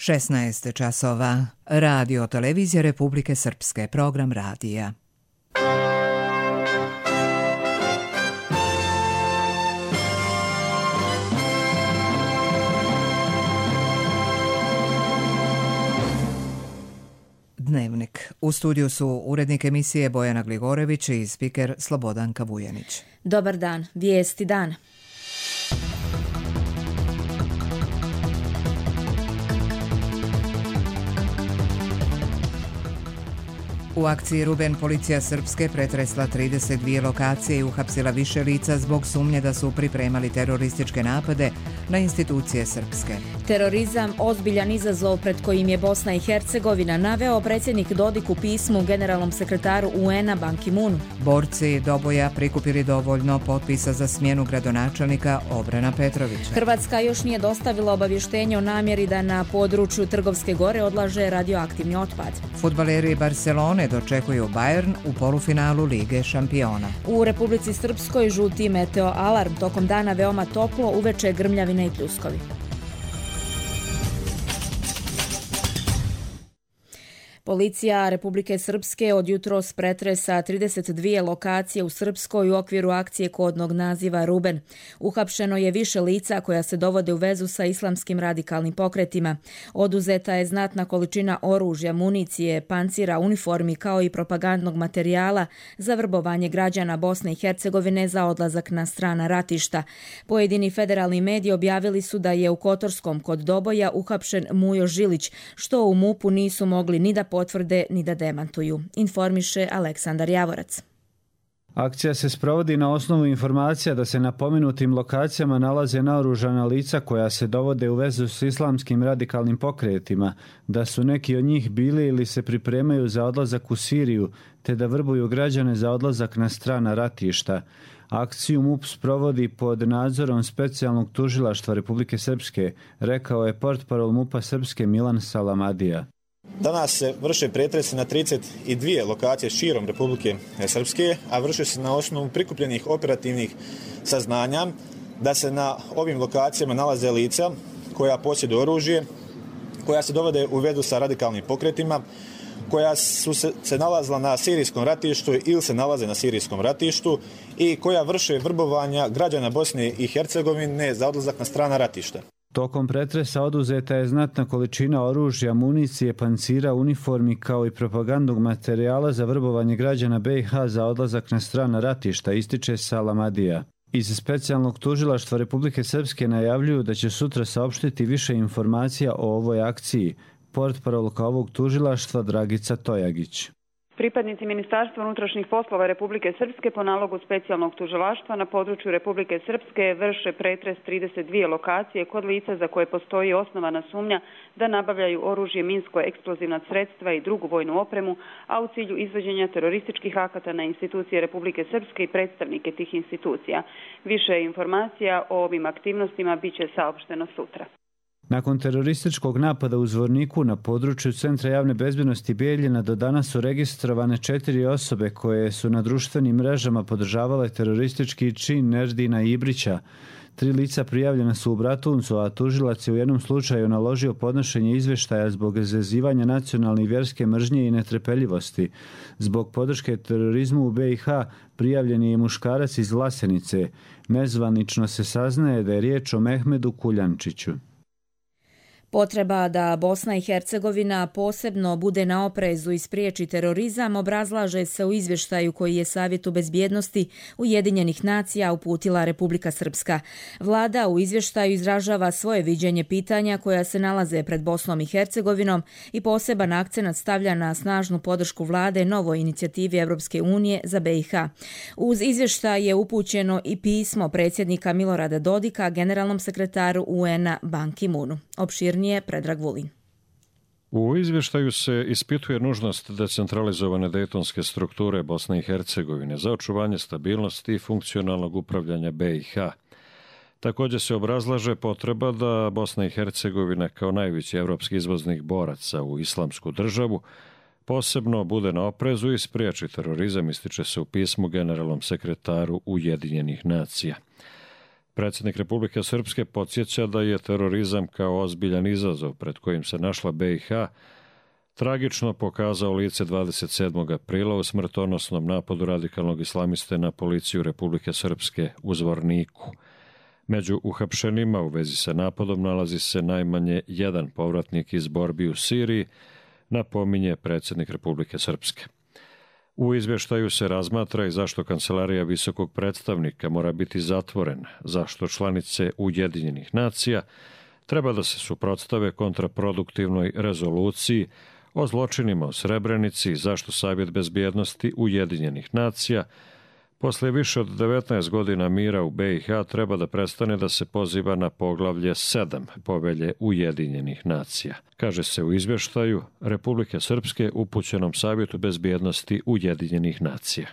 16 časova. Radio televizije Republike Srpske, program radija. Dnevnik. U studiju su urednik emisije Bojana Gligorević i spiker Slobodanka Vujanić. Dobar dan, vijesti dana. U akciji Ruben policija Srpske pretresla 32 lokacije i uhapsila više lica zbog sumnje da su pripremali terorističke napade na institucije Srpske. Terorizam, ozbiljan izazov pred kojim je Bosna i Hercegovina, naveo predsjednik Dodik u pismu generalnom sekretaru UN-a Ban Ki-moonu. Borci Doboja prikupili dovoljno potpisa za smjenu gradonačelnika Obrana Petrovića. Hrvatska još nije dostavila obavještenje o namjeri da na području Trgovske gore odlaže radioaktivni otpad. Fudbaleri Barcelone dočekuju Bayern u polufinalu Lige šampiona. U Republici Srpskoj žuti meteo alarm, tokom dana veoma toplo, uveče grmljavine i pljuskovi. Policija Republike Srpske od jutros pretresa 32 lokacije u Srpskoj u okviru akcije kodnog naziva Ruben. Uhapšeno je više lica koja se dovode u vezu sa islamskim radikalnim pokretima. Oduzeta je znatna količina oružja, municije, pancira, uniformi kao i propagandnog materijala za vrbovanje građana Bosne i Hercegovine za odlazak na strana ratišta. Pojedini federalni mediji objavili su da je u Kotorskom kod Doboja uhapšen Mujo Žilić, što u MUP-u nisu mogli ni da potvrde ni da demantuju, informiše Aleksandar Javorac. Akcija se sprovodi na osnovu informacija da se na pomenutim lokacijama nalaze naoružana lica koja se dovode u vezu s islamskim radikalnim pokretima, da su neki od njih bili ili se pripremaju za odlazak u Siriju, te da vrbuju građane za odlazak na strana ratišta. Akciju MUP sprovodi pod nadzorom specijalnog tužilaštva Republike Srpske, rekao je portparol MUP-a Srpske Milan Salamadija. Danas se vrše pretresi na 32 lokacije širom Republike Srpske, a vrše se na osnovu prikupljenih operativnih saznanja da se na ovim lokacijama nalaze lica koja posjeduju oružje, koja se dovode u vezu sa radikalnim pokretima, koja su se nalazila na sirijskom ratištu ili se nalaze na sirijskom ratištu i koja vrše vrbovanja građana Bosne i Hercegovine za odlazak na strana ratišta. Tokom pretresa oduzeta je znatna količina oružja, municije, pancira, uniformi kao i propagandnog materijala za vrbovanje građana BiH za odlazak na strana ratišta, ističe Salamadija. Iz specijalnog tužilaštva Republike Srpske najavljuju da će sutra saopštiti više informacija o ovoj akciji. Portparolka ovog tužilaštva Dragica Tojagić. Pripadnici Ministarstva unutrašnjih poslova Republike Srpske po nalogu specijalnog tužilaštva na području Republike Srpske vrše pretres 32 lokacije kod lica za koje postoji osnovana sumnja da nabavljaju oružje, minsko-eksplozivna sredstva i drugu vojnu opremu, a u cilju izvođenja terorističkih akata na institucije Republike Srpske i predstavnike tih institucija. Više informacija o ovim aktivnostima bit će saopšteno sutra. Nakon terorističkog napada u Zvorniku na području Centra javne bezbjednosti Bijeljina do danas su registrovane 4 osobe koje su na društvenim mrežama podržavale teroristički čin Nerdina Ibrića. 3 lica prijavljena su u Bratuncu, a tužilac je u jednom slučaju naložio podnošenje izvještaja zbog izazivanja nacionalne i vjerske mržnje i netrpeljivosti. Zbog podrške terorizmu u BiH prijavljen je muškarac iz Vlasenice. Nezvanično se saznaje da je riječ o Mehmedu Kuljančiću. Potreba da Bosna i Hercegovina posebno bude na oprezu i spriječi terorizam obrazlaže se u izvještaju koji je Savjetu bezbjednosti Ujedinjenih nacija uputila Republika Srpska. Vlada u izvještaju izražava svoje viđenje pitanja koja se nalaze pred Bosnom i Hercegovinom i poseban akcenat stavlja na snažnu podršku vlade novoj inicijativi Europske unije za BiH. Uz izvještaj je upućeno i pismo predsjednika Milorada Dodika generalnom sekretaru UN-a Ban Ki-moonu. Opširnije Predrag Vulin. U izvještaju se ispituje nužnost decentralizovane dejtonske strukture Bosne i Hercegovine za očuvanje stabilnosti i funkcionalnog upravljanja BiH. Također se obrazlaže potreba da Bosna i Hercegovina kao najveći evropski izvoznik boraca u islamsku državu posebno bude na oprezu i spriječi terorizam, ističe se u pismu generalnom sekretaru Ujedinjenih nacija. Predsjednik Republike Srpske podsjeća da je terorizam kao ozbiljan izazov pred kojim se našla BiH tragično pokazao lice 27. aprila u smrtonosnom napadu radikalnog islamiste na policiju Republike Srpske u Zvorniku. Među uhapšenima u vezi sa napadom nalazi se najmanje jedan povratnik iz borbi u Siriji, napominje predsjednik Republike Srpske. U izvještaju se razmatra i zašto Kancelarija visokog predstavnika mora biti zatvorena, zašto članice Ujedinjenih nacija treba da se suprotstave kontraproduktivnoj rezoluciji o zločinima u Srebrenici, zašto Savjet bezbjednosti Ujedinjenih nacija posle više od 19 godina mira u BiH treba da prestane da se poziva na poglavlje 7 Povelje Ujedinjenih nacija. Kaže se u izvještaju Republike Srpske upućenom Savjetu bezbjednosti Ujedinjenih nacija.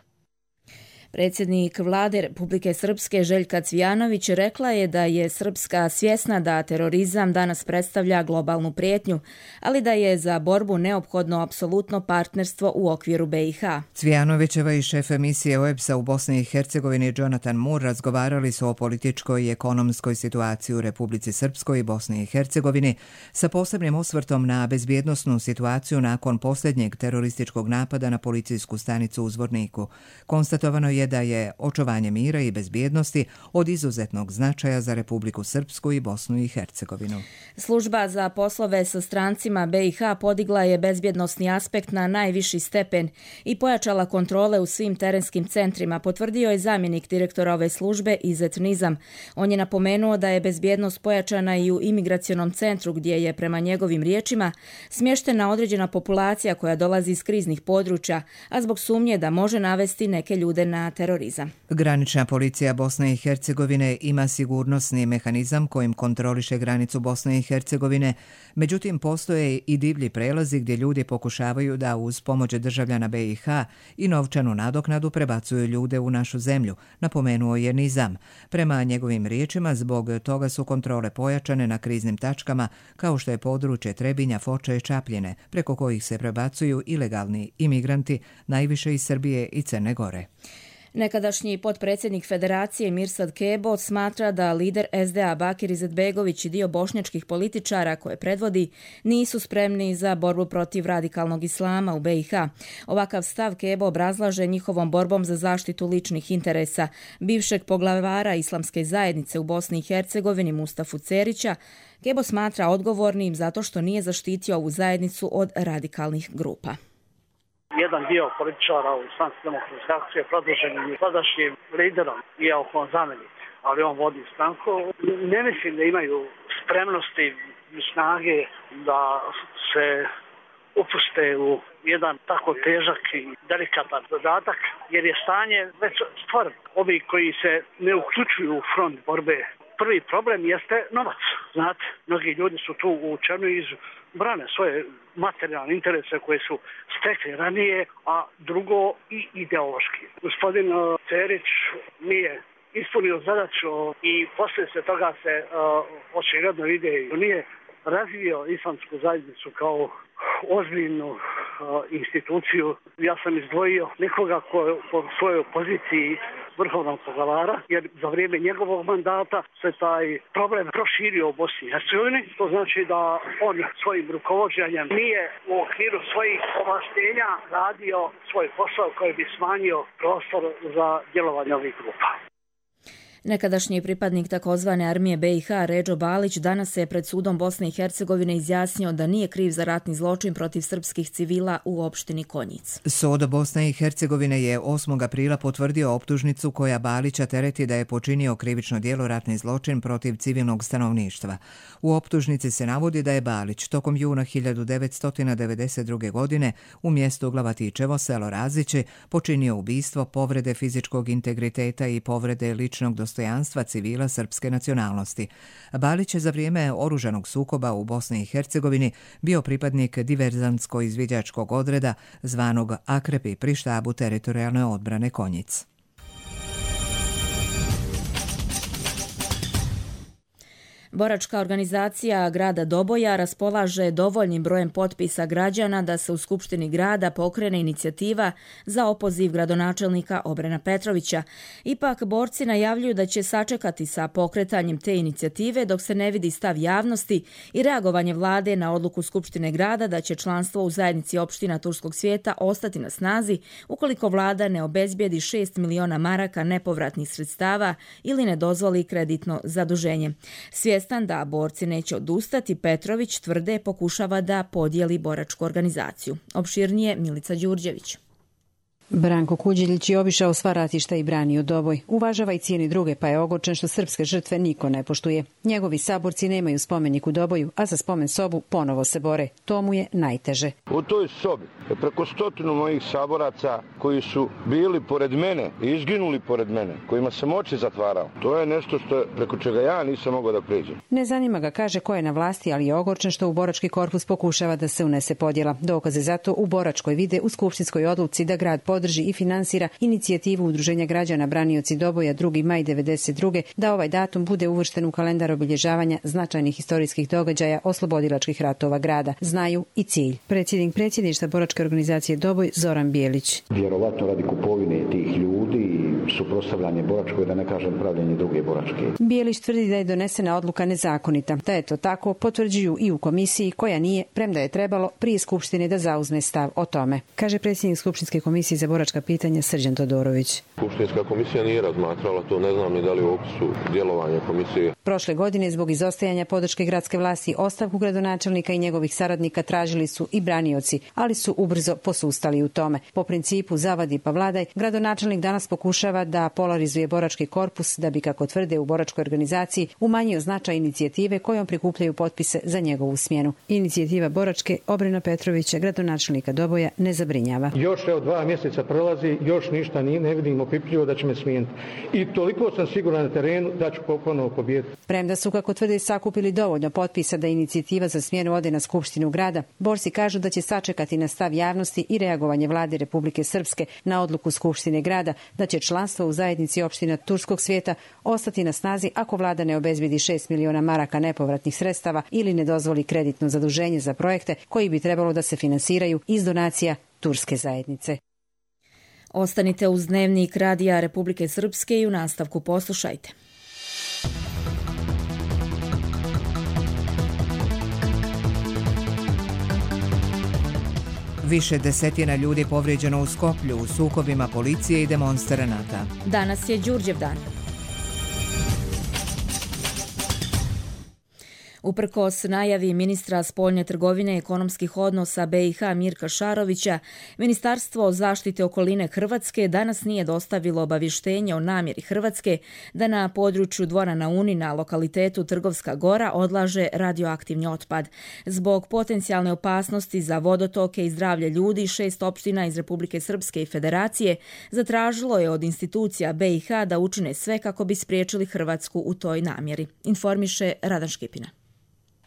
Predsjednik Vlade Republike Srpske Željka Cvijanović rekla je da je Srpska svjesna da terorizam danas predstavlja globalnu prijetnju, ali da je za borbu neophodno apsolutno partnerstvo u okviru BiH. Cvijanovićeva i šef emisije OEBS-a u Bosni i Hercegovini Jonathan Moore razgovarali su o političkoj i ekonomskoj situaciji u Republici Srpskoj i Bosni i Hercegovini sa posebnim osvrtom na bezbjednosnu situaciju nakon posljednjeg terorističkog napada na policijsku stanicu u Zvorniku. Konstatovano je da je očuvanje mira i bezbjednosti od izuzetnog značaja za Republiku Srpsku i Bosnu i Hercegovinu. Služba za poslove sa strancima BiH podigla je bezbjednosni aspekt na najviši stepen i pojačala kontrole u svim terenskim centrima, potvrdio je zamjenik direktora ove službe Izet Nizam. On je napomenuo da je bezbjednost pojačana i u imigracionom centru gdje je, prema njegovim riječima, smještena određena populacija koja dolazi iz kriznih područja, a zbog sumnje da može navesti neke ljude na terorizam. Granična policija Bosne i Hercegovine ima sigurnosni mehanizam kojim kontroliše granicu Bosne i Hercegovine, međutim postoje i divlji prelazi gdje ljudi pokušavaju da uz pomoć državljana BiH i novčanu nadoknadu prebacuju ljude u našu zemlju, napomenuo je Nizam. Prema njegovim riječima, zbog toga su kontrole pojačane na kriznim tačkama kao što je područje Trebinja, Foče i Čapljine, preko kojih se prebacuju ilegalni imigranti, najviše iz Srbije i Crne Gore. Nekadašnji potpredsjednik Federacije Mirsad Kebo smatra da lider SDA Bakir Izetbegović i dio bošnjačkih političara koje predvodi nisu spremni za borbu protiv radikalnog islama u BiH. Ovakav stav Kebo obrazlaže njihovom borbom za zaštitu ličnih interesa bivšeg poglavara islamske zajednice u Bosni i Hercegovini Mustafu Cerića. Kebo smatra odgovornim zato što nije zaštitio ovu zajednicu od radikalnih grupa. Jedan dio političara u Islamske demokratske akcije predložen je sadašnjim liderom, iako on zamjenik, ali on vodi stranku. Ne mislim da imaju spremnosti i snage da se upuste u jedan tako težak i delikatan zadatak, jer je stanje već stvoreno. Ovi koji se ne uključuju u front borbe, prvi problem jeste novac. Znate, mnogi ljudi su tu uvučeni iz brane svoje materijalne interese koje su stekli ranije, a drugo i ideološki. Gospodin Cerić nije ispunio zadaću i poslije se toga se očigledno ide i nije razvio islamsku zajednicu kao ozbiljnu instituciju. Ja sam izdvojio nekoga ko po svojoj poziciji vrhovnog poglavara, jer za vrijeme njegovog mandata se taj problem proširio u Bosni i Hercegovini. To znači da on svojim rukovođenjem nije u okviru svojih ovlaštenja radio svoj posao koji bi smanjio prostor za djelovanje ovih grupa. Nekadašnji pripadnik takozvane armije BiH Redžo Balić danas se pred sudom Bosne i Hercegovine izjasnio da nije kriv za ratni zločin protiv srpskih civila u opštini Konjic. Sud Bosne i Hercegovine je 8. aprila potvrdio optužnicu koja Balića tereti da je počinio krivično djelo ratni zločin protiv civilnog stanovništva. U optužnici se navodi da je Balić tokom juna 1992. godine u mjestu Glavatičevo, selo Razići, počinio ubistvo, povrede fizičkog integriteta i povrede ličnog dostojanstva civila srpske nacionalnosti. Balić je za vrijeme oružanog sukoba u Bosni i Hercegovini bio pripadnik diverzantsko-izviđačkog odreda zvanog Akrepi pri štabu teritorijalne odbrane Konjic. Boračka organizacija grada Doboja raspolaže dovoljnim brojem potpisa građana da se u Skupštini grada pokrene inicijativa za opoziv gradonačelnika Obrena Petrovića. Ipak, borci najavljuju da će sačekati sa pokretanjem te inicijative dok se ne vidi stav javnosti i reagovanje vlade na odluku Skupštine grada da će članstvo u zajednici opština Turskog svijeta ostati na snazi ukoliko vlada ne obezbijedi 6 miliona maraka nepovratnih sredstava ili ne dozvoli kreditno zaduženje. Svjestan da borci neće odustati, Petrović tvrde pokušava da podijeli boračku organizaciju. Opširnije Milica Đurđević. Branko Kuđilić je obišao sva ratišta i branio Doboj. Uvažava i cijeni druge, pa je ogorčen što srpske žrtve niko ne poštuje. Njegovi saborci nemaju spomenik u Doboju, a za spomen sobu ponovo se bore. To mu je najteže. U toj sobi je preko 100 mojih saboraca koji su bili pored mene i izginuli pored mene, kojima sam oči zatvarao. To je nešto preko čega ja nisam mogao da pređem. Ne zanima ga, kaže, ko je na vlasti, ali je ogorčen što u borački korpus pokušava da se unese podjela. Dokaze za to u boračkoj vide u skupštinskoj odluci da grad podrži i finansira inicijativu Udruženja građana Branioci Doboja 2. maj 1992. da ovaj datum bude uvršten u kalendar obilježavanja značajnih istorijskih događaja oslobodilačkih ratova grada. Znaju i cilj. Predsjednik predsjedništva boračke organizacije Doboj Zoran Bijelić. Vjerovatno radi kupovine tih ljudi i suprotstavljanje boračkoj, da ne kažem pravljenje druge boračke. Bijelić tvrdi da je donesena odluka nezakonita. Da je to tako potvrđuju i u komisiji koja nije, premda je trebalo prije Skupštine da zauzme stav o tome. Kaže predsjednik Skupštinske komisije za boračka pitanja Srđan Todorović. Skupštinska komisija nije razmatrala to, ne znam ni da li u opisu djelovanja komisije. Prošle godine zbog izostajanja podrške gradske vlasti ostavku gradonačelnika i njegovih saradnika tražili su i branioci, ali su ubrzo posustali u tome. Po principu zavadi pa vladaj, gradonačelnik danas pokušava da polarizuje borački korpus da bi, kako tvrde u boračkoj organizaciji, umanjio značaj inicijative kojom prikupljaju potpise za njegovu smjenu. Inicijativa boračke Obrena Petrovića, gradonačelnika Doboja, ne zabrinjava. Još 2 mjeseca prolazi, još ništa ne vidim opipljivo da će me smijeniti. I toliko sam siguran na terenu da ću ponovo pobijediti. Premda su, kako tvrde, sakupili dovoljno potpisa da inicijativa za smjenu ode na Skupštinu grada, borci kažu da će sačekati na stav javnosti i reagovanje vlade Republike Srpske na odluku Skupštine grada da će članstvo u zajednici opština Turskog svijeta ostati na snazi ako vlada ne obezbedi 6 miliona maraka nepovratnih sredstava ili ne dozvoli kreditno zaduženje za projekte koji bi trebalo da se finansiraju iz donacija turske zajednice. Ostanite uz Dnevnik Radija Republike Srpske i u nastavku poslušajte. Više desetina ljudi povrijeđeno u Skoplju u sukobima policije i demonstranata. Danas je Đurđev dan. Uprkos najavi ministra spoljne trgovine i ekonomskih odnosa BiH Mirka Šarovića, Ministarstvo zaštite okoline Hrvatske danas nije dostavilo obavještenje o namjeri Hrvatske da na području Dvora na Uni na lokalitetu Trgovska Gora odlaže radioaktivni otpad. Zbog potencijalne opasnosti za vodotoke i zdravlje ljudi, 6 opština iz Republike Srpske i Federacije zatražilo je od institucija BiH da učine sve kako bi spriječili Hrvatsku u toj namjeri, informiše Radan Škipina.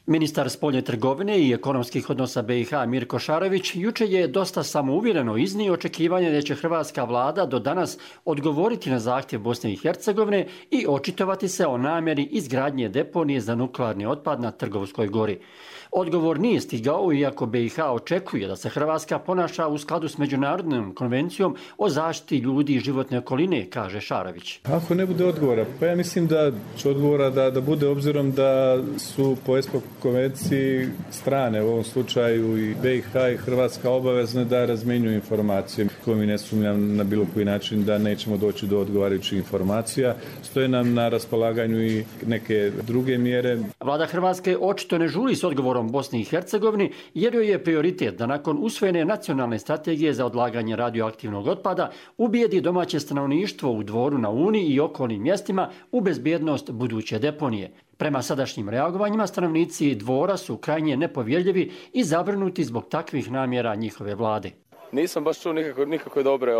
Ministar spoljne trgovine i ekonomskih odnosa BiH Mirko Šarović juče je dosta samouvjereno iznio očekivanje da će hrvatska vlada do danas odgovoriti na zahtjev Bosne i Hercegovine i očitovati se o namjeri izgradnje deponije za nuklearni otpad na Trgovskoj gori. Odgovor nije stigao, iako BiH očekuje da se Hrvatska ponaša u skladu s Međunarodnom konvencijom o zaštiti ljudi i životne okoline, kaže Šarović. Ako ne bude odgovora, pa ja mislim da će odgovora da bude, obzirom da su po ESPO konvenciji strane, u ovom slučaju i BiH i Hrvatska, obavezne da razmjenjuju informacije. Ko mi ne sumnjam na bilo koji način da nećemo doći do odgovarajućih informacija. Stoje nam na raspolaganju i neke druge mjere. Vlada Hrvatske očito ne žuri s odgovorom Bosni i Hercegovini, jer joj je prioritet da nakon usvojene nacionalne strategije za odlaganje radioaktivnog otpada ubijedi domaće stanovništvo u Dvoru na Uni i okolnim mjestima u bezbjednost buduće deponije. Prema sadašnjim reagovanjima, stanovnici Dvora su krajnje nepovjerljivi i zabrinuti zbog takvih namjera njihove vlade. Nisam baš čuo nikakve dobre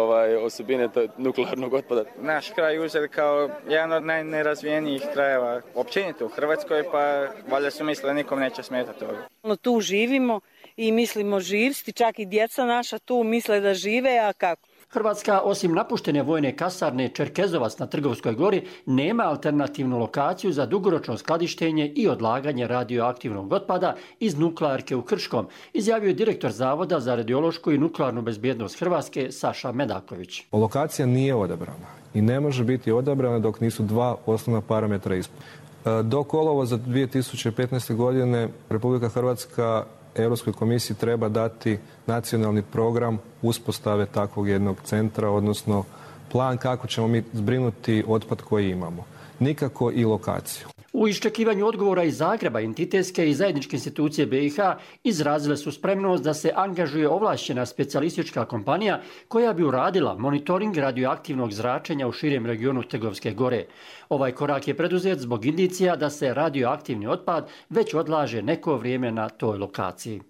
osobine nuklearnog otpada. Naš kraj uzeli kao jedan od najnerazvijenijih krajeva općenito u Hrvatskoj, pa valjda su mislili da nikom neće smetati ovo. Tu živimo i mislimo živsti, čak i djeca naša tu misle da žive, a kako? Hrvatska, osim napuštene vojne kasarne Čerkezovac na Trgovskoj gori, nema alternativnu lokaciju za dugoročno skladištenje i odlaganje radioaktivnog otpada iz nuklearke u Krškom, izjavio je direktor Zavoda za radiološku i nuklearnu bezbjednost Hrvatske Saša Medaković. Lokacija nije odabrana i ne može biti odabrana dok nisu dva osnovna parametra ispunjena. Do kolovoza 2015. godine Republika Hrvatska Europskoj komisiji treba dati nacionalni program uspostave takvog jednog centra, odnosno plan kako ćemo mi zbrinuti otpad koji imamo. Nikako i lokaciju. U iščekivanju odgovora iz Zagreba, entitetske i zajedničke institucije BiH izrazile su spremnost da se angažuje ovlašćena specijalistička kompanija koja bi uradila monitoring radioaktivnog zračenja u širem regionu Trgovske gore. Ovaj korak je preduzet zbog indicija da se radioaktivni otpad već odlaže neko vrijeme na toj lokaciji.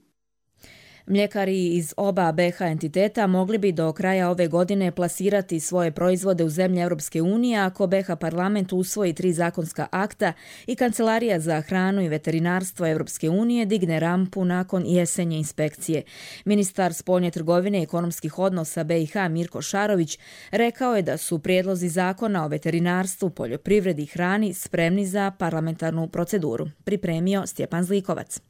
Mljekari iz oba BiH entiteta mogli bi do kraja ove godine plasirati svoje proizvode u zemlje Europske unije ako BiH parlament usvoji 3 zakonska akta i Kancelarija za hranu i veterinarstvo Europske unije digne rampu nakon jesenje inspekcije. Ministar spoljne trgovine i ekonomskih odnosa BiH Mirko Šarović rekao je da su prijedlozi zakona o veterinarstvu, poljoprivredi i hrani spremni za parlamentarnu proceduru. Pripremio Stjepan Zlikovac.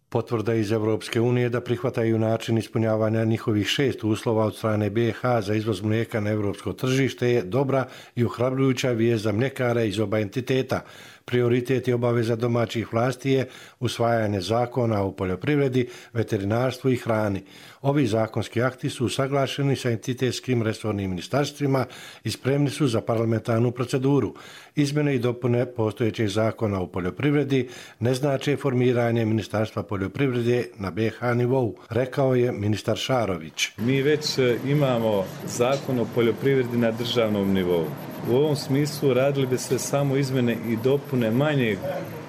Potvrda iz Europske unije da prihvataju način ispunjavanja njihovih 6 uslova od strane BiH za izvoz mlijeka na europsko tržište je dobra i ohrabrujuća vijest za mljekare iz oba entiteta. Prioritet i obaveza domaćih vlasti je usvajanje zakona o poljoprivredi, veterinarstvu i hrani. Ovi zakonski akti su usaglašeni sa entitetskim resornim ministarstvima i spremni su za parlamentarnu proceduru. Izmjene i dopune postojećeg zakona o poljoprivredi ne znače formiranje Ministarstva poljoprivrede na BiH nivou, rekao je ministar Šarović. Mi već imamo zakon o poljoprivredi na državnom nivou. U ovom smislu radili bi se samo izmjene i dopune manjeg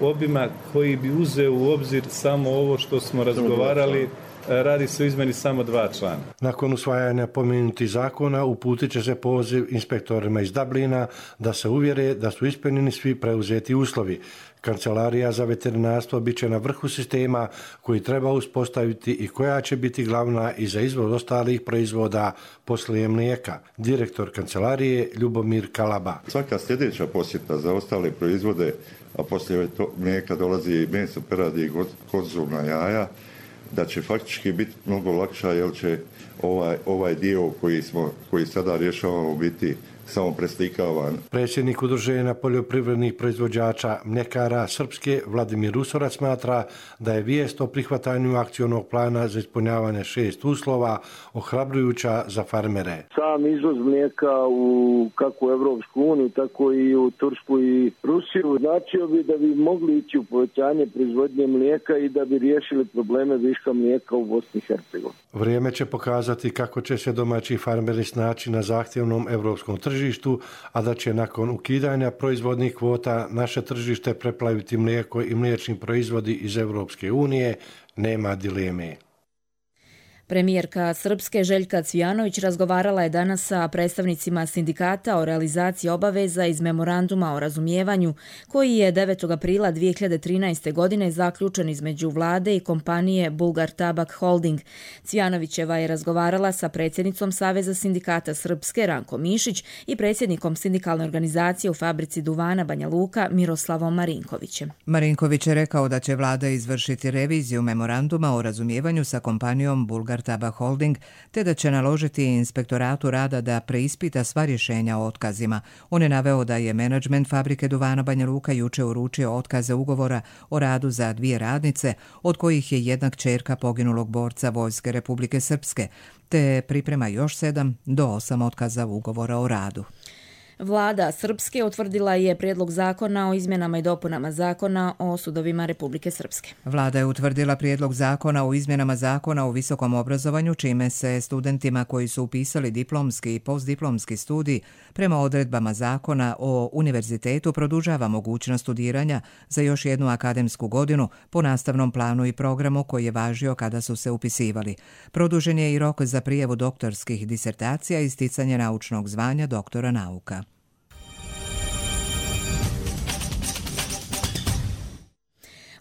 obima koji bi uzeo u obzir samo ovo što smo razgovarali. Radi se o izmjeni samo 2 člana. Nakon usvajanja pomenutih zakona uputit će se poziv inspektorima iz Dublina da se uvjere da su ispunjeni svi preuzeti uslovi. Kancelarija za veterinarstvo bit će na vrhu sistema koji treba uspostaviti i koja će biti glavna i za izvoz ostalih proizvoda poslije mlijeka. Direktor kancelarije Ljubomir Kalaba. Svaka sljedeća posjeta za ostale proizvode, a poslije mlijeka dolazi meso, peradi i konzumna jaja, da će faktički biti mnogo lakša jer će ovaj dio koji sada rješavamo biti samo preslikavan. Predsjednik Udruženja poljoprivrednih proizvođača mljekara Srpske Vladimir Usorac smatra da je vijest o prihvatanju akcionog plana za ispunjavanje 6 uslova ohrabrujuća za farmere. Sam izvoz mlijeka kako u Evropsku uniju, tako i u Tursku i Rusiju značio bi da bi mogli ići u povećanje proizvodnje mlijeka i da bi riješili probleme viška mlijeka u Bosni i Hercegovini. Vrijeme će pokazati kako će se domaći farmeri snaći na zahtjevnom europskom tržištu, a da će nakon ukidanja proizvodnih kvota naše tržište preplaviti mlijeko i mliječni proizvodi iz Europske unije, nema dileme. Premijerka Srpske Željka Cvijanović razgovarala je danas sa predstavnicima sindikata o realizaciji obaveza iz memoranduma o razumijevanju koji je 9. aprila 2013. godine zaključen između vlade i kompanije Bulgar Tabak Holding. Cvijanovićeva je razgovarala sa predsjednicom Saveza sindikata Srpske Ranko Mišić i predsjednikom sindikalne organizacije u fabrici duvana Banja Luka Miroslavom Marinkovićem. Marinković je rekao da će vlada izvršiti reviziju memoranduma o razumijevanju sa kompanijom Bulgar Tabak Holding, te da će naložiti inspektoratu rada da preispita sva rješenja o otkazima. On je naveo da je menadžment fabrike duvana Banja Luka juče uručio otkaze ugovora o radu za 2 radnice, od kojih je jedna kćerka poginulog borca Vojske Republike Srpske, te priprema još 7 do 8 otkaza ugovora o radu. Vlada Srpske utvrdila je prijedlog zakona o izmjenama i dopunama zakona o sudovima Republike Srpske. Vlada je utvrdila prijedlog zakona o izmjenama zakona o visokom obrazovanju, čime se studentima koji su upisali diplomski i postdiplomski studij prema odredbama zakona o univerzitetu produžava mogućnost studiranja za još jednu akademsku godinu po nastavnom planu i programu koji je važio kada su se upisivali. Produžen je i rok za prijavu doktorskih disertacija i sticanje naučnog zvanja doktora nauka.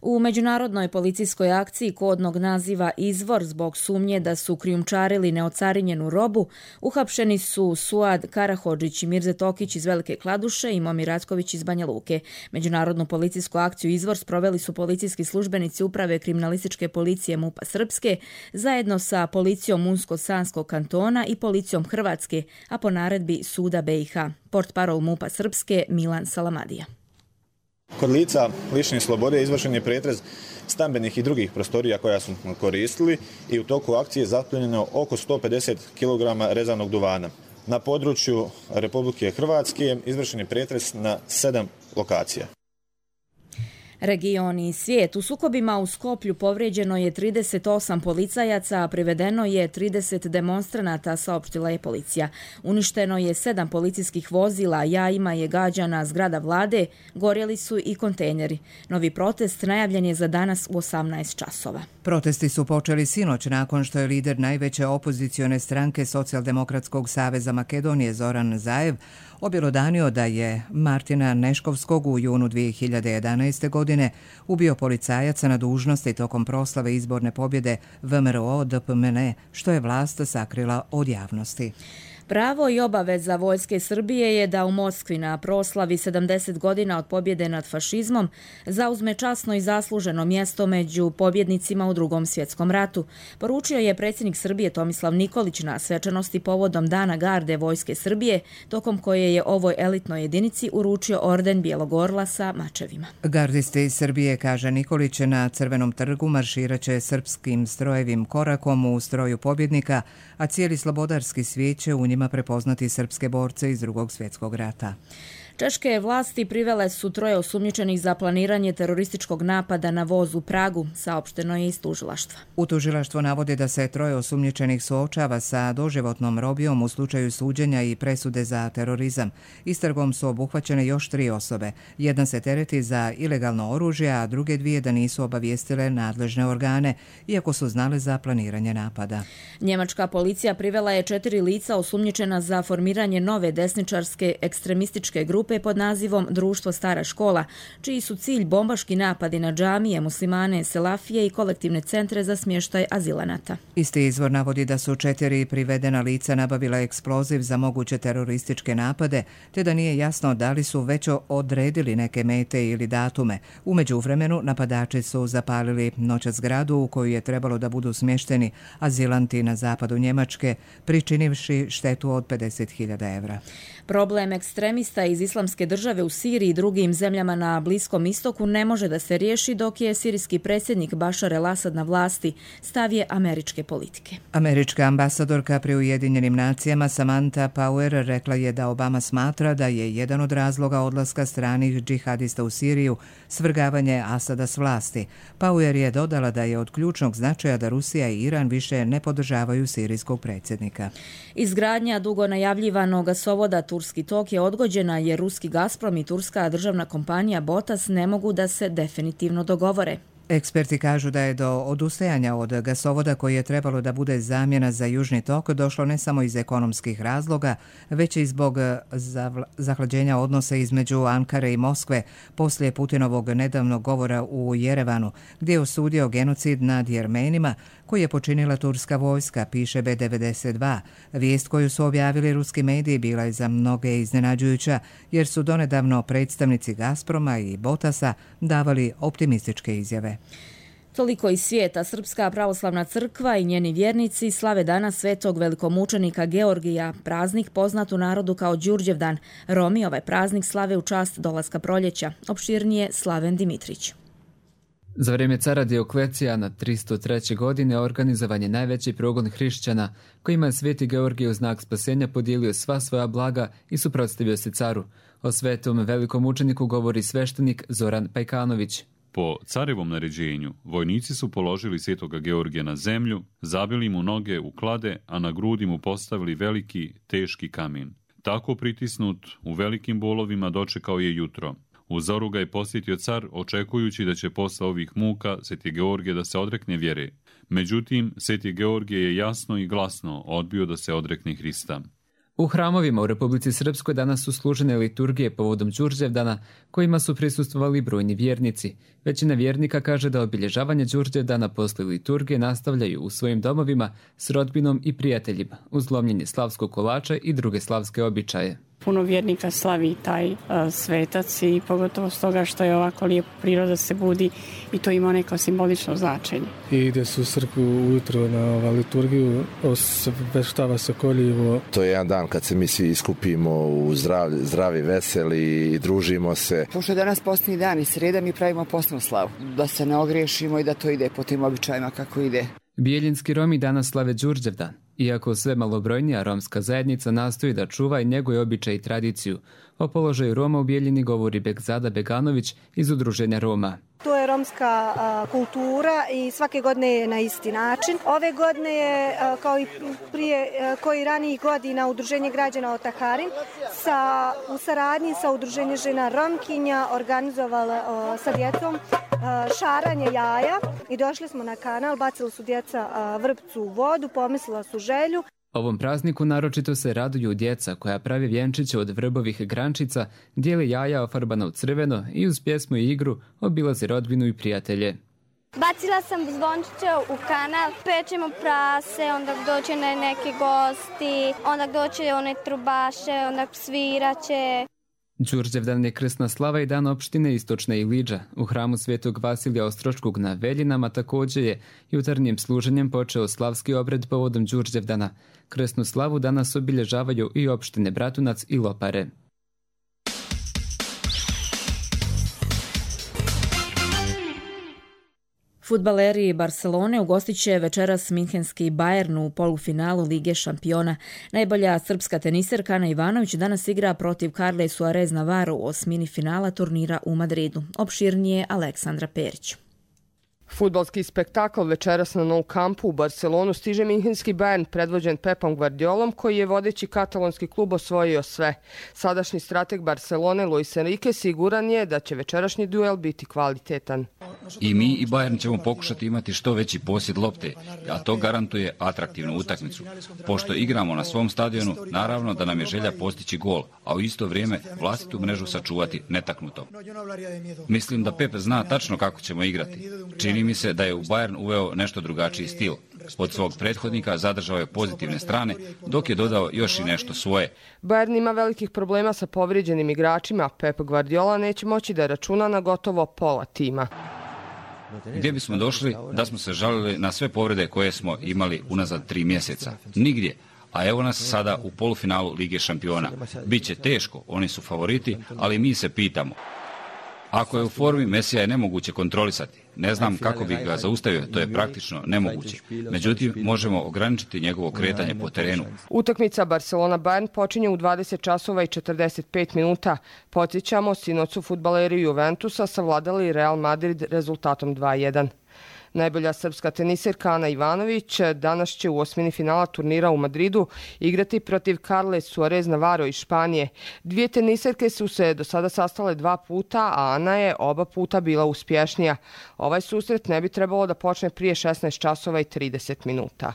U međunarodnoj policijskoj akciji kodnog naziva Izvor zbog sumnje da su krijumčarili neocarinjenu robu, uhapšeni su Suad Karahodžić i Mirze Tokić iz Velike Kladuše i Momir Ratković iz Banja Luke. Međunarodnu policijsku akciju Izvor sproveli su policijski službenici Uprave kriminalističke policije MUP-a Srpske zajedno sa policijom Unsko-Sanskog kantona i policijom Hrvatske, a po naredbi Suda BiH. Portparol MUP-a Srpske Milan Salamadija. Kod lica lišenih slobode izvršen je pretrez stambenih i drugih prostorija koja su koristili i u toku akcije je zaplijenjeno oko 150 kg rezanog duvana. Na području Republike Hrvatske izvršen je pretrez na 7 lokacija. Region i svijet. U sukobima u Skoplju povrijeđeno je 38 policajaca, a privedeno je 30 demonstranata, saopštila je policija. Uništeno je 7 policijskih vozila, jajima je gađana zgrada vlade, gorjeli su i kontejneri. Novi protest najavljen je za danas u 18 časova. Protesti su počeli sinoć nakon što je lider najveće opozicione stranke Socijaldemokratskog saveza Makedonije Zoran Zaev objelodanio da je Martina Neškovskog u junu 2011. godine ubio policajaca na dužnosti tokom proslave izborne pobjede VMRO-DPMNE, što je vlast sakrila od javnosti. Pravo i obaveza Vojske Srbije je da u Moskvi na proslavi 70 godina od pobjede nad fašizmom zauzme časno i zasluženo mjesto među pobjednicima u Drugom svjetskom ratu, poručio je predsjednik Srbije Tomislav Nikolić na svečanosti povodom Dana garde Vojske Srbije, tokom koje je ovoj elitnoj jedinici uručio orden Bijelog orla sa mačevima. Gardisti iz Srbije, kaže Nikolić, na Crvenom trgu marširaće srpskim strojevim korakom u stroju pobjednika, a cijeli slobodarski svijet će u njima prepoznati srpske borce iz Drugog svjetskog rata. Češke vlasti privele su 3 osumnjičenih za planiranje terorističkog napada na voz u Pragu, saopšteno je iz tužilaštva. U tužilaštvu navode da se 3 osumnjičenih suočava sa doživotnom robijom u slučaju suđenja i presude za terorizam. Istragom su obuhvaćene još 3 osobe. Jedna se tereti za ilegalno oružje, a druge 2 da nisu obavijestile nadležne organe, iako su znale za planiranje napada. Njemačka policija privela je 4 lica osumnjičena za formiranje nove desničarske ekstremističke grupe pod nazivom Društvo Stara škola, čiji su cilj bombaški napadi na džamije, muslimane, selafije i kolektivne centre za smještaj azilanata. Isti izvor navodi da su 4 privedena lica nabavila eksploziv za moguće terorističke napade, te da nije jasno da li su već odredili neke mete ili datume. U međuvremenu napadači su zapalili noćas zgradu u koju je trebalo da budu smješteni azilanti na zapadu Njemačke, pričinivši štetu od 50.000 evra. Problem ekstremista iz Islamske države u Siriji i drugim zemljama na Bliskom istoku ne može da se riješi dok je sirijski predsjednik Bašar el-Asad na vlasti, stav je američke politike. Američka ambasadorka pri Ujedinjenim nacijama Samantha Power rekla je da Obama smatra da je jedan od razloga odlaska stranih džihadista u Siriju svrgavanje Asada s vlasti. Power je dodala da je od ključnog značaja da Rusija i Iran više ne podržavaju sirijskog predsjednika. Izgradnja dugo najavljivanog gasovoda Turski tok je odgođena jer ruski Gazprom i turska državna kompanija Botas ne mogu da se definitivno dogovore. Eksperti kažu da je do odustajanja od gasovoda koji je trebalo da bude zamjena za Južni tok došlo ne samo iz ekonomskih razloga, već i zbog zahlađenja odnosa između Ankare i Moskve poslije Putinovog nedavnog govora u Jerevanu, gdje je osudio genocid nad Jermenima koji je počinila turska vojska, piše B92. Vijest koju su objavili ruski mediji bila je za mnoge iznenađujuća, jer su donedavno predstavnici Gazproma i Botasa davali optimističke izjave. Toliko iz svijeta. Srpska pravoslavna crkva i njeni vjernici slave dana svetog velikomučenika Georgija, praznik poznat u narodu kao Đurđevdan. Romi ovaj praznik slave u čast dolaska proljeća. Opširnije Slaven Dimitrić. Za vrijeme cara Dioklecijana 303. godine organizovan je najveći progon hrišćana, kojima je sveti Georgij u znak spasenja podijelio sva svoja blaga i suprotstavio se caru. O svetom velikom učeniku govori sveštenik Zoran Pajkanović. Po carevom naređenju, vojnici su položili svetoga Georgija na zemlju, zabili mu noge u klade, a na grudi mu postavili veliki, teški kamen. Tako pritisnut, u velikim bolovima dočekao je jutro. U zoru ga je posjetio car, očekujući da će posle ovih muka sveti Georgije da se odrekne vjere. Međutim, sveti Georgije je jasno i glasno odbio da se odrekne Hrista. U hramovima u Republici Srpskoj danas su služene liturgije povodom Đurđevdana, kojima su prisustvovali brojni vjernici. Većina vjernika kaže da obilježavanje Đurđevdana posle liturgije nastavljaju u svojim domovima s rodbinom i prijateljima, uz lomljenje slavskog kolača i druge slavske običaje. Puno vjernika slavi taj svetac i pogotovo s toga što je ovako lijepo priroda se budi i to ima neko simbolično značenje. I ide se u crkvu ujutro na liturgiju, osveštava se koljivo. To je jedan dan kad se mi svi iskupimo u zdravi, veseli i družimo se. Pošto je danas postni dan i sreda, mi pravimo postnu slavu. Da se ne ogriješimo i da to ide po tim običajima kako ide. Bijeljinski Romi danas slave Đurđevdan. Iako sve malobrojnija romska zajednica nastoji da čuva i njeguje običaj i tradiciju. O položaju Roma u Bijeljini govori Begzada Beganović iz Udruženja Roma. To je romska kultura i svake godine je na isti način. Ove godine je, kao i prije koji ranijih godina, Udruženje građana Otaharin u saradnji sa Udruženjem žena Romkinja organizovala sa djecom šaranje jaja i došli smo na kanal, bacili su djeca vrpcu u vodu, pomislila su želju. Ovom prazniku naročito se raduju djeca koja pravi vjenčiće od vrbovih grančica, dijeli jaja ofarbana u crveno i uz pjesmu i igru obilazi rodbinu i prijatelje. Bacila sam zvončiće u kanal, pečemo prase, onda doće neki gosti, onda doće one trubaše, onda sviraće. Đurđevdan je krsna slava i dan opštine Istočna Ilidža. U hramu Svetog Vasilija Ostroškog na Veljinama također je jutarnjim služenjem počeo slavski obred povodom Đurđevdana. Krsnu slavu danas obilježavaju i opštine Bratunac i Lopare. Fudbaleri Barcelone ugostit će večeras minhenski Bayern u polufinalu Lige šampiona. Najbolja srpska teniserka Ana Ivanović danas igra protiv Carle Suarez Navarro u osmini finala turnira u Madridu. Opširnije Aleksandra Perić. Fudbalski spektakl večeras na Nou Campu u Barcelonu stiže minhenski Bayern predvođen Pepom Guardiolom, koji je vodeći katalonski klub osvojio sve. Sadašnji strateg Barcelone Luis Enrique siguran je da će večerašnji duel biti kvalitetan. I mi i Bayern ćemo pokušati imati što veći posjed lopte, a to garantuje atraktivnu utakmicu. Pošto igramo na svom stadionu, naravno da nam je želja postići gol, a u isto vrijeme vlastitu mrežu sačuvati netaknutom. Mislim da Pep zna tačno kako ćemo igrati. Čini mi se da je u Bayern uveo nešto drugačiji stil. Od svog prethodnika zadržao je pozitivne strane, dok je dodao još i nešto svoje. Bayern ima velikih problema sa povrijeđenim igračima, Pep Guardiola neće moći da računa na gotovo pola tima. Gdje bismo došli da smo se žalili na sve povrede koje smo imali unazad 3 mjeseca? Nigdje. A evo nas sada u polufinalu Lige šampiona. Biće teško, oni su favoriti, ali mi se pitamo. Ako je u formi, Mesija je nemoguće kontrolisati. Ne znam kako bih ga zaustavio, to je praktično nemoguće. Međutim, možemo ograničiti njegovo kretanje po terenu. Utakmica Barcelona-Bayern počinje u 20 časova i 45 minuta. Podsjećamo, sinoć su fudbaleri Juventusa savladali Real Madrid rezultatom 2:1. Najbolja srpska teniserka Ana Ivanović danas će u osmini finala turnira u Madridu igrati protiv Carle Suarez Navarro iz Španije. Dvije teniserke su se do sada sastale 2 puta, a Ana je oba puta bila uspješnija. Ovaj susret ne bi trebalo da počne prije 16 časova i 30 minuta.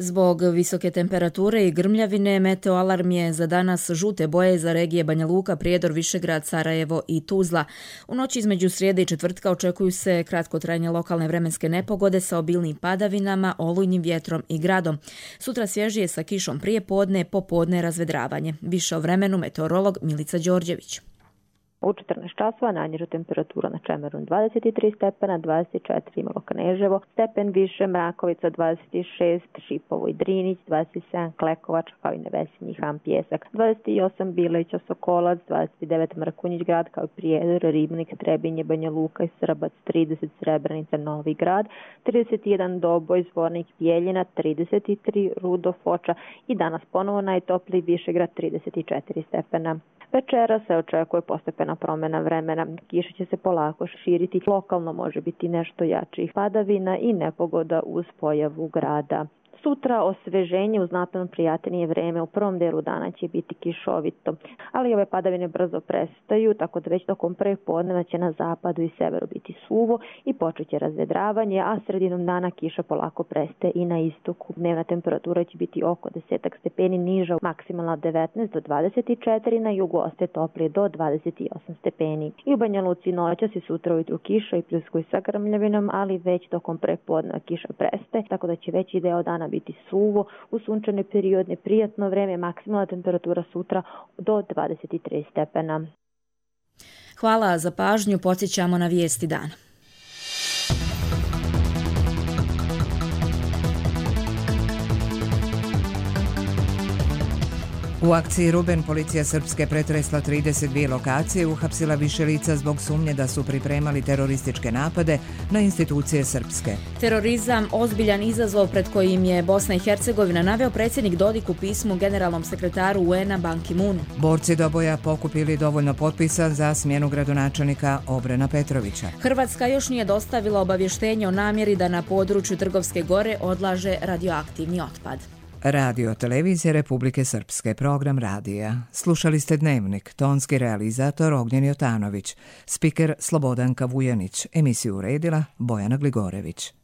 Zbog visoke temperature i grmljavine, meteoalarm je za danas žute boje za regije Banja Luka, Prijedor, Višegrad, Sarajevo i Tuzla. U noći između srijede i četvrtka očekuju se kratkotrajne lokalne vremenske nepogode sa obilnim padavinama, olujnim vjetrom i gradom. Sutra svježije sa kišom prije podne, popodne razvedravanje. Više o vremenu meteorolog Milica Đorđević. U 14 časova najniža temperatura na Čemeru 23 stepena, 24 Imalo Kneževo, stepen više Mrakovica 26, Šipovo i Drinić, 27 Klekovač, kao i Nevesinji Han Pjesak, 28 Bileća Sokolac, 29 Mrkonjić grad, kao i Prijedor, Ribnik, Trebinje, Banja Luka i Srbac, 30 Srebrenica, Novi grad, 31 Doboj, Zvornik, Bijeljina, 33 Rudo, Foča i danas ponovo najtopliji Višegrad 34 stepena. Večera se očekuje postepena promjena vremena. Kiša će se polako širiti. Lokalno može biti nešto jačih padavina i nepogoda uz pojavu grada. Sutra osveženje uz znatno prijatnije vreme. U prvom delu dana će biti kišovito, ali ove padavine brzo prestaju, tako da već tokom prepodneva će na zapadu i severu biti suvo i počet će razvedravanje, a sredinom dana kiša polako prestaje i na istoku. Dnevna temperatura će biti oko 10 stepeni niža, maksimalna od 19 do 24, na jugu ostaje toplije do 28 stepeni. I u Banja Luci noćas i sutra ujutru kiša i pljuskuje sa grmljavinom, ali već tokom prepodneva kiša prestaje, tako da će veći deo dana biti suvo, u sunčane periodne prijatno vreme, maksimalna temperatura sutra do 23 stepena. Hvala za pažnju, podsjećamo na vijesti dana. U akciji Ruben policija Srpske pretresla 32 lokacije i uhapsila više lica zbog sumnje da su pripremali terorističke napade na institucije Srpske. Terorizam, ozbiljan izazov pred kojim je Bosna i Hercegovina, naveo predsjednik Dodik u pismu generalnom sekretaru UN-a Ban Ki-moonu. Borci Doboja pokupili dovoljno potpisa za smjenu gradonačelnika Obrena Petrovića. Hrvatska još nije dostavila obavještenje o namjeri da na području Trgovske gore odlaže radioaktivni otpad. Radio televizije Republike Srpske, program radija. Slušali ste Dnevnik, tonski realizator Ognjen Jotanović, spiker Slobodanka Vujanić, emisiju uredila Bojana Gligorević.